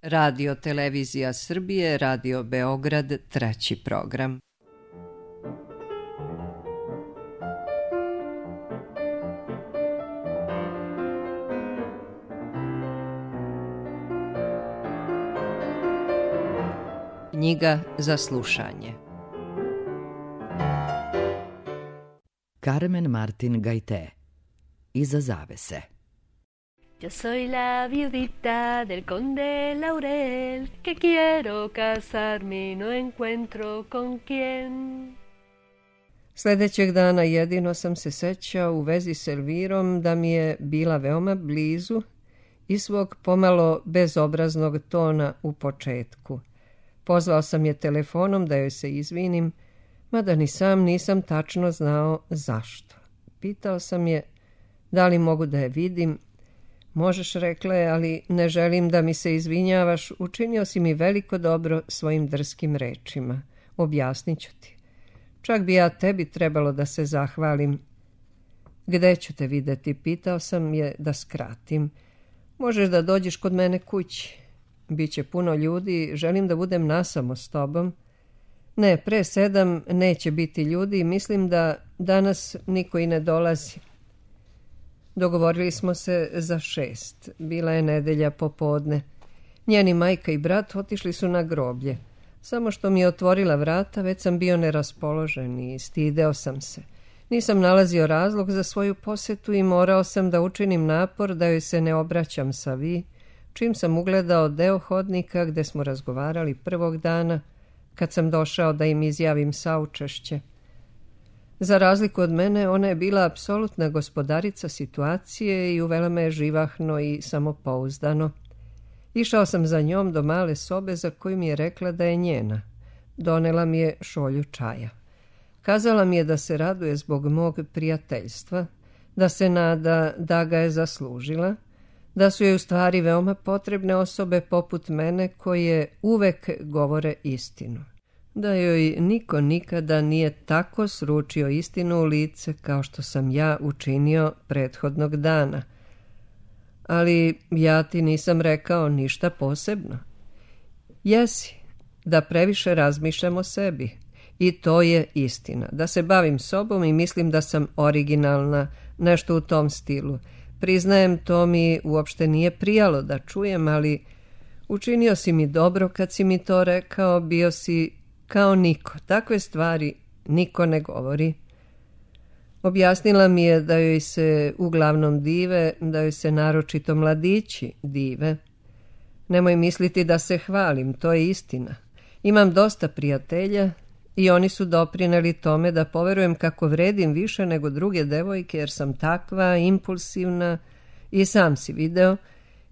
Radio Televizija Srbije, Radio Beograd, 3. program. Knjiga za slušanje. Carmen Martin Gaité. Iza zavese. Yo soy la viudita del conde Laurel, que quiero casarme y no encuentro con quién. Sljedećeg dana jedino sam se sećao u vezi s Elvirom da mi je bila veoma blizu i svog pomalo bezobraznog tona u početku. Pozvao sam je telefonom da joj se izvinim, mada ni sam nisam tačno znao zašto. Pitao sam je da li mogu da je vidim. Možeš, rekla je, ali ne želim da mi se izvinjavaš, učinio si mi veliko dobro svojim drskim rečima. Objasnit ću ti. Čak bi ja tebi trebalo da se zahvalim. Gde ću te videti? Pitao sam je da skratim. Možeš da dođeš kod mene kući. Biće puno ljudi, želim da budem nasamo s tobom. Ne, pre 7 neće biti ljudi, mislim da danas niko i ne dolazi. Dogovorili smo se za 6. Bila je nedelja popodne. Njeni majka i brat otišli su na groblje. Samo što mi je otvorila vrata, već sam bio neraspoložen i stideo sam se. Nisam nalazio razlog za svoju posetu i morao sam da učinim napor da joj se ne obraćam sa vi, čim sam ugledao deo hodnika gde smo razgovarali prvog dana, kad sam došao da im izjavim saučešće. Za razliku od mene, ona je bila apsolutna gospodarica situacije i uvela me živahno i samopouzdano. Išao sam za njom do male sobe za koju mi je rekla da je njena. Donela mi je šolju čaja. Kazala mi je da se raduje zbog mog prijateljstva, da se nada da ga je zaslužila, da su joj u stvari veoma potrebne osobe poput mene koje uvek govore istinu. Da joj niko nikada nije tako sručio istinu u lice kao što sam ja učinio prethodnog dana. Ali ja ti nisam rekao ništa posebno. Jesi, da previše razmišljam o sebi. I to je istina. Da se bavim sobom i mislim da sam originalna, nešto u tom stilu. Priznajem, to mi uopšte nije prijalo da čujem, ali učinio si mi dobro kad si mi to rekao, bio si kao niko. Takve stvari niko ne govori. Objasnila mi je da joj se uglavnom dive, da joj se naročito mladići dive. Nemoj misliti da se hvalim, to je istina. Imam dosta prijatelja i oni su doprineli tome da poverujem kako vredim više nego druge devojke, jer sam takva, impulsivna i sam si video,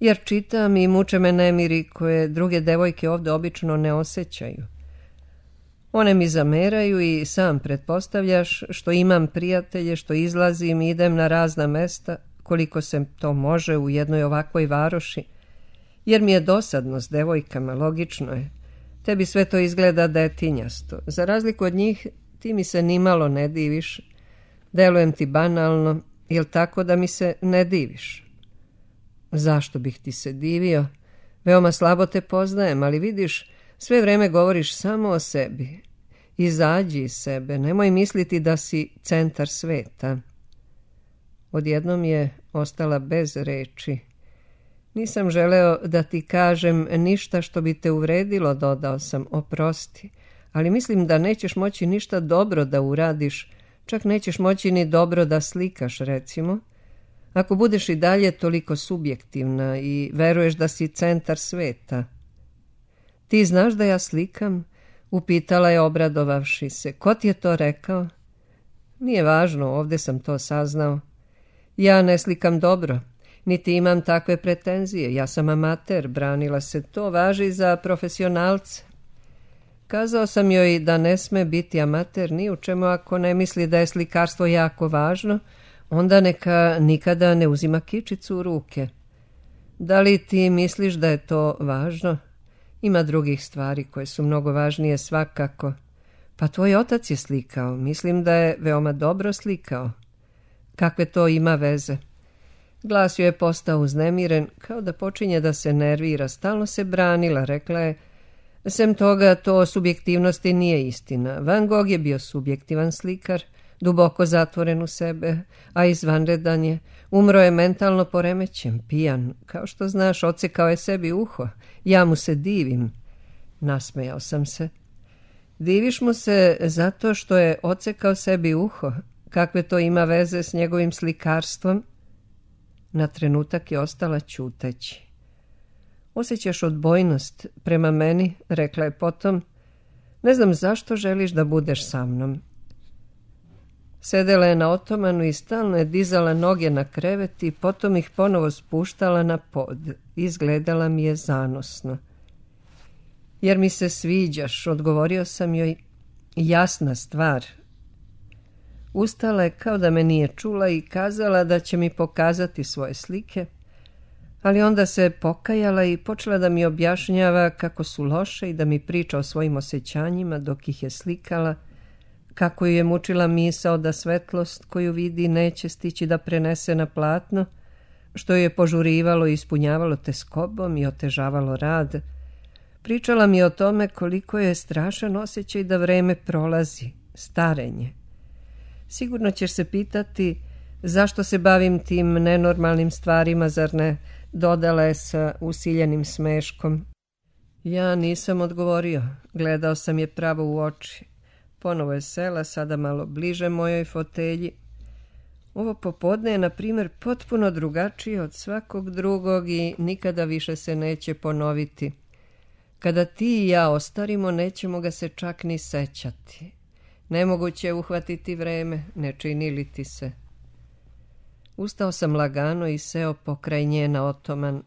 jer čitam i muče me nemiri koje druge devojke ovdje obično ne osjećaju. One mi zameraju i sam pretpostavljaš što imam prijatelje, što izlazim i idem na razna mesta, koliko se to može u jednoj ovakvoj varoši, jer mi je dosadno s devojkama, logično je. Tebi sve to izgleda detinjasto. Za razliku od njih, ti mi se nimalo ne diviš. Delujem ti banalno, jel tako da mi se ne diviš? Zašto bih ti se divio? Veoma slabo te poznajem, ali vidiš, sve vreme govoriš samo o sebi. Izađi iz sebe, nemoj misliti da si centar sveta. Odjednom je ostala bez reči. Nisam želeo da ti kažem ništa što bi te uvredilo, dodao sam, oprosti, ali mislim da nećeš moći ništa dobro da uradiš, čak nećeš moći ni dobro da slikaš, recimo, ako budeš i dalje toliko subjektivna i veruješ da si centar sveta. Ti znaš da ja slikam? Upitala je obradovavši se. Ko ti je to rekao? Nije važno, ovdje sam to saznao. Ja ne slikam dobro, niti imam takve pretenzije. Ja sam amater, branila se. To važi za profesionalce. Kazao sam joj da ne sme biti amater ni u čemu ako ne misli da je slikarstvo jako važno, onda neka nikada ne uzima kičicu u ruke. Da li ti misliš da je to važno? Ima drugih stvari koje su mnogo važnije svakako. Pa tvoj otac je slikao. Mislim da je veoma dobro slikao. Kakve to ima veze? Glas joj je postao uznemiren, kao da počinje da se nervira. Stalno se branila, rekla je. Sem toga, to o subjektivnosti nije istina. Van Gogh je bio subjektivan slikar, duboko zatvoren u sebe, a izvanredan je. Umro je mentalno poremećen, pijan. Kao što znaš, odsekao je sebi uho. Ja mu se divim. Nasmejao sam se. Diviš mu se zato što je odsekao sebi uho? Kakve to ima veze s njegovim slikarstvom? Na trenutak je ostala ćuteći. Osjećaš odbojnost prema meni, rekla je potom. Ne znam zašto želiš da budeš sa mnom. Sedela je na otomanu i stalno je dizala noge na krevet i potom ih ponovo spuštala na pod. Izgledala mi je zanosno. Jer mi se sviđaš, odgovorio sam joj. Jasna stvar. Ustala je kao da me nije čula i kazala da će mi pokazati svoje slike, ali onda se pokajala i počela da mi objašnjava kako su loše i da mi priča o svojim osjećanjima dok ih je slikala, kako ju je mučila misao da svetlost koju vidi neće stići da prenese na platno, što ju je požurivalo i ispunjavalo teskobom i otežavalo rad. Pričala mi o tome koliko je strašan osjećaj da vreme prolazi, starenje. Sigurno ćeš se pitati zašto se bavim tim nenormalnim stvarima, zar ne? Dodala je sa usiljenim smeškom. Ja nisam odgovorio, gledao sam je pravo u oči. Ponovo je sela, sada malo bliže mojoj fotelji. Ovo popodne je, na primjer, potpuno drugačije od svakog drugog i nikada više se neće ponoviti. Kada ti i ja ostarimo, nećemo ga se čak ni sećati. Nemoguće je uhvatiti vreme, ne čini li ti se. Ustao sam lagano i seo pokraj nje na otoman.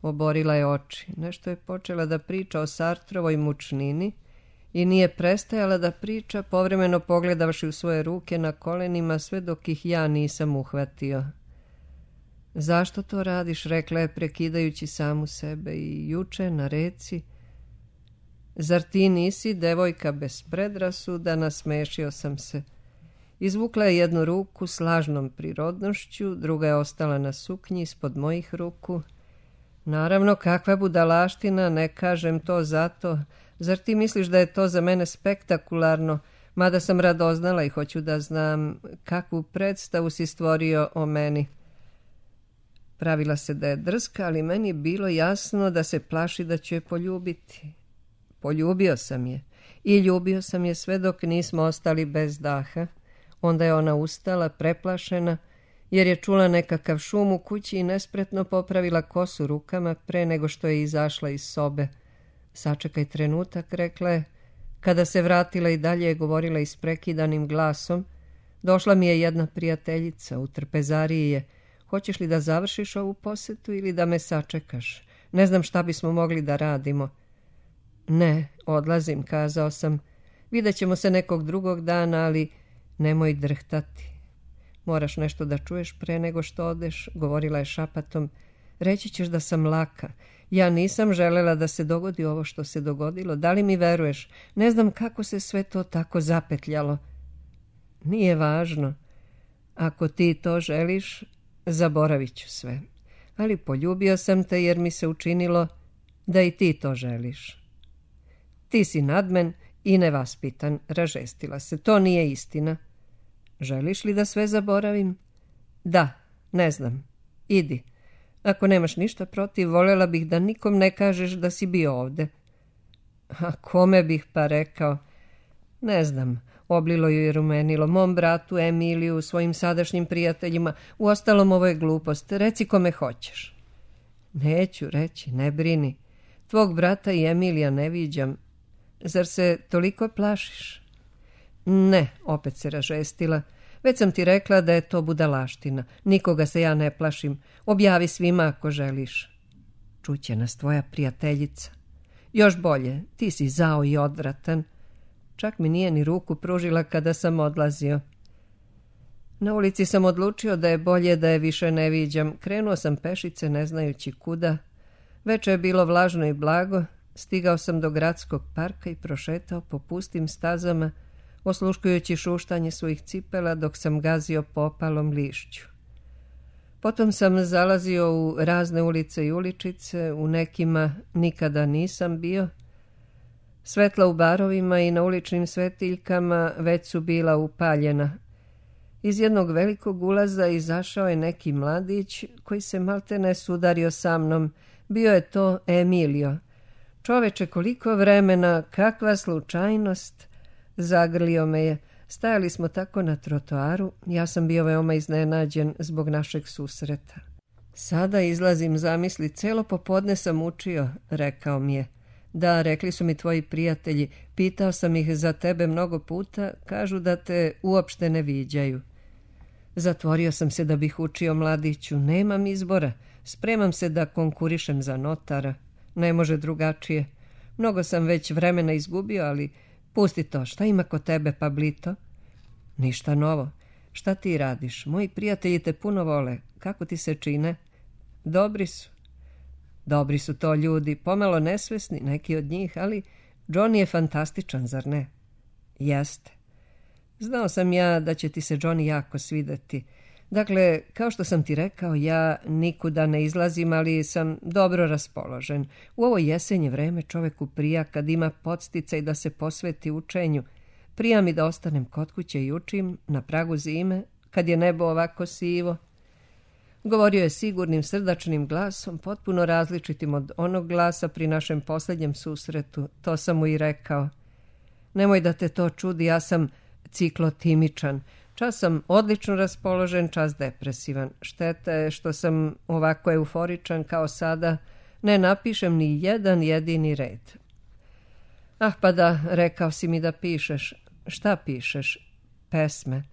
Oborila je oči. Nešto je počela da priča o Sartrovoj mučnini i nije prestajala da priča, povremeno pogledavši u svoje ruke na kolenima, sve dok ih ja nisam uhvatio. Zašto to radiš, rekla je, prekidajući samu sebe, i juče na reci. Zar ti nisi devojka bez predrasuda, nasmešio sam se. Izvukla je jednu ruku s lažnom prirodnošću, druga je ostala na suknji ispod mojih ruku. Naravno, kakva budalaština, ne kažem to zato. Zar ti misliš da je to za mene spektakularno, mada sam radoznala i hoću da znam kakvu predstavu si stvorio o meni. Pravila se da je drska, ali meni je bilo jasno da se plaši da ću je poljubiti. Poljubio sam je i ljubio sam je sve dok nismo ostali bez daha. Onda je ona ustala, preplašena, jer je čula nekakav šum u kući i nespretno popravila kosu rukama pre nego što je izašla iz sobe. Sačekaj trenutak, rekla je. Kada se vratila i dalje je govorila isprekidanim glasom. Došla mi je jedna prijateljica, u trpezariji je. Hoćeš li da završiš ovu posetu ili da me sačekaš? Ne znam šta bismo mogli da radimo. Ne, odlazim, kazao sam. Vidjet ćemo se nekog drugog dana, ali nemoj drhtati. Moraš nešto da čuješ pre nego što odeš, govorila je šapatom. Reći ćeš da sam laka. Ja nisam želela da se dogodi ovo što se dogodilo. Da li mi veruješ? Ne znam kako se sve to tako zapetljalo. Nije važno. Ako ti to želiš, zaboravit ću sve. Ali poljubio sam te jer mi se učinilo da i ti to želiš. Ti si nadmen i nevaspitan, ražestila se. To nije istina. Želiš li da sve zaboravim? Da, ne znam. Idi. Ako nemaš ništa protiv, voljela bih da nikom ne kažeš da si bio ovde. A kome bih pa rekao? Ne znam, oblilo ju je rumenilo. Mom bratu, Emiliju, svojim sadašnjim prijateljima. Uostalom, ovo je glupost. Reci kome hoćeš. Neću reći, ne brini. Tvog brata i Emilija ne viđam. Zar se toliko plašiš? Ne, opet se ražestila. Već sam ti rekla da je to budalaština. Nikoga se ja ne plašim. Objavi svima ako želiš. Čuće nas tvoja prijateljica. Još bolje, ti si zao i odvratan. Čak mi nije ni ruku pružila kada sam odlazio. Na ulici sam odlučio da je bolje da je više ne viđam. Krenuo sam pešice ne znajući kuda. Veče je bilo vlažno i blago. Stigao sam do gradskog parka i prošetao po pustim stazama, osluškujući šuštanje svojih cipela dok sam gazio po opalom lišću. Potom sam zalazio u razne ulice i uličice, u nekima nikada nisam bio. Svetla u barovima i na uličnim svetiljkama već su bila upaljena. Iz jednog velikog ulaza izašao je neki mladić koji se maltene sudario sa mnom. Bio je to Emilio. Čoveče, koliko vremena, kakva slučajnost! Zagrlio me je. Stajali smo tako na trotoaru, ja sam bio veoma iznenađen zbog našeg susreta. Sada izlazim, zamisli, celo popodne sam učio, rekao mi je. Da, rekli su mi tvoji prijatelji, pitao sam ih za tebe mnogo puta, kažu da te uopšte ne viđaju. Zatvorio sam se da bih učio, mladiću, nemam izbora, spremam se da konkurišem za notara, ne može drugačije. Mnogo sam već vremena izgubio, ali pusti to, šta ima kod tebe, Pablito? Ništa novo. Šta ti radiš? Moji prijatelji te puno vole. Kako ti se čine? Dobri su. Dobri su to ljudi, pomalo nesvesni, neki od njih, ali Johnny je fantastičan, zar ne? Jeste. Znao sam ja da će ti se Johnny jako svideti. Dakle, kao što sam ti rekao, ja nikuda ne izlazim, ali sam dobro raspoložen. U ovo jesenje vreme čoveku prija kad ima podsticaj da se posveti učenju. Prija mi da ostanem kod kuće i učim na pragu zime, kad je nebo ovako sivo. Govorio je sigurnim, srdačnim glasom, potpuno različitim od onog glasa pri našem posljednjem susretu. To sam mu i rekao. Nemoj da te to čudi, ja sam ciklotimičan. Čas sam odlično raspoložen, čas depresivan. Šteta je što sam ovako euforičan kao sada. Ne napišem ni jedan jedini red. Ah, pa da, rekao si mi da pišeš. Šta pišeš? Pesme.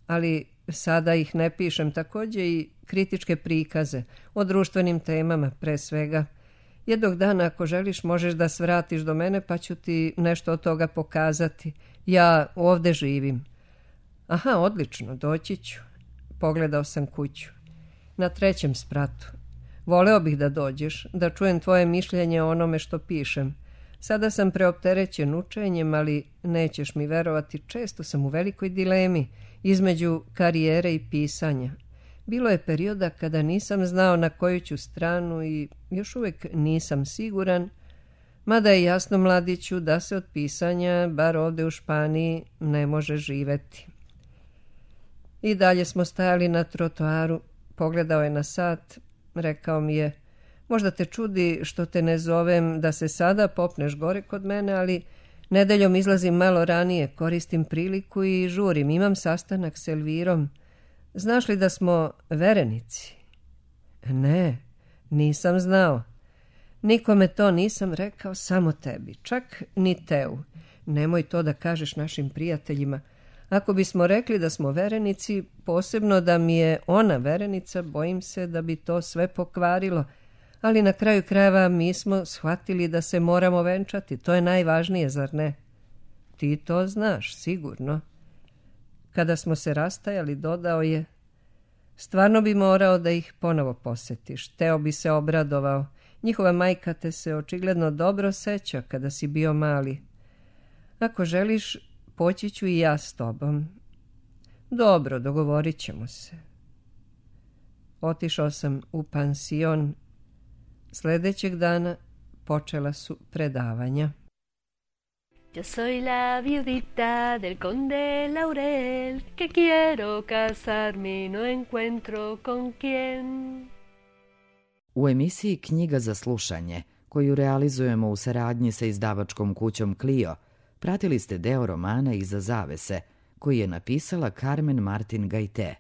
Ali sada ih ne pišem, također i kritičke prikaze o društvenim temama pre svega. Jednog dana, ako želiš, možeš da svratiš do mene, pa ću ti nešto od toga pokazati. Ja ovde živim. Aha, odlično, doći ću. Pogledao sam kuću. Na 3. spratu. Voleo bih da dođeš, da čujem tvoje mišljenje o onome što pišem. Sada sam preopterećen učenjem, ali nećeš mi verovati, često sam u velikoj dilemi između karijere i pisanja. Bilo je perioda kada nisam znao na koju ću stranu i još uvijek nisam siguran, mada je jasno, mladiću, da se od pisanja, bar ovdje u Španiji, ne može živeti. I dalje smo stajali na trotoaru, pogledao je na sat, rekao mi je, možda te čudi što te ne zovem da se sada popneš gore kod mene, ali nedeljom izlazim malo ranije, koristim priliku i žurim, imam sastanak s Elvirom. Znaš li da smo verenici? Ne, nisam znao. Nikome to nisam rekao, samo tebi, čak ni Teu. Nemoj to da kažeš našim prijateljima. Ako bismo rekli da smo verenici, posebno da mi je ona verenica, bojim se da bi to sve pokvarilo. Ali na kraju krajeva mi smo shvatili da se moramo venčati. To je najvažnije, zar ne? Ti to znaš, sigurno. Kada smo se rastajali, dodao je, stvarno bi morao da ih ponovo posetiš. Teo bi se obradovao. Njihova majka te se očigledno dobro seća kada si bio mali. Ako želiš, poći ću i ja s tobom. Dobro, dogovorit ćemo se. Otišao sam u pansion. Sljedećeg dana počela su predavanja. Yo soy la viudita del conde Laurel, que quiero casarme y no encuentro con quién. U emisiji Knjiga za slušanje, koju realizujemo u saradnji sa izdavačkom kućom Clio, pratili ste deo romana Iza zavese, koji je napisala Carmen Martin Gajte.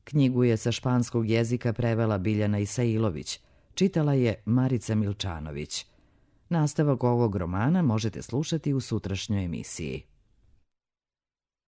Knjigu je sa španskog jezika prevela Biljana Isailović, čitala je Marica Milčanović. Nastavak ovog romana možete slušati u sutrašnjoj emisiji.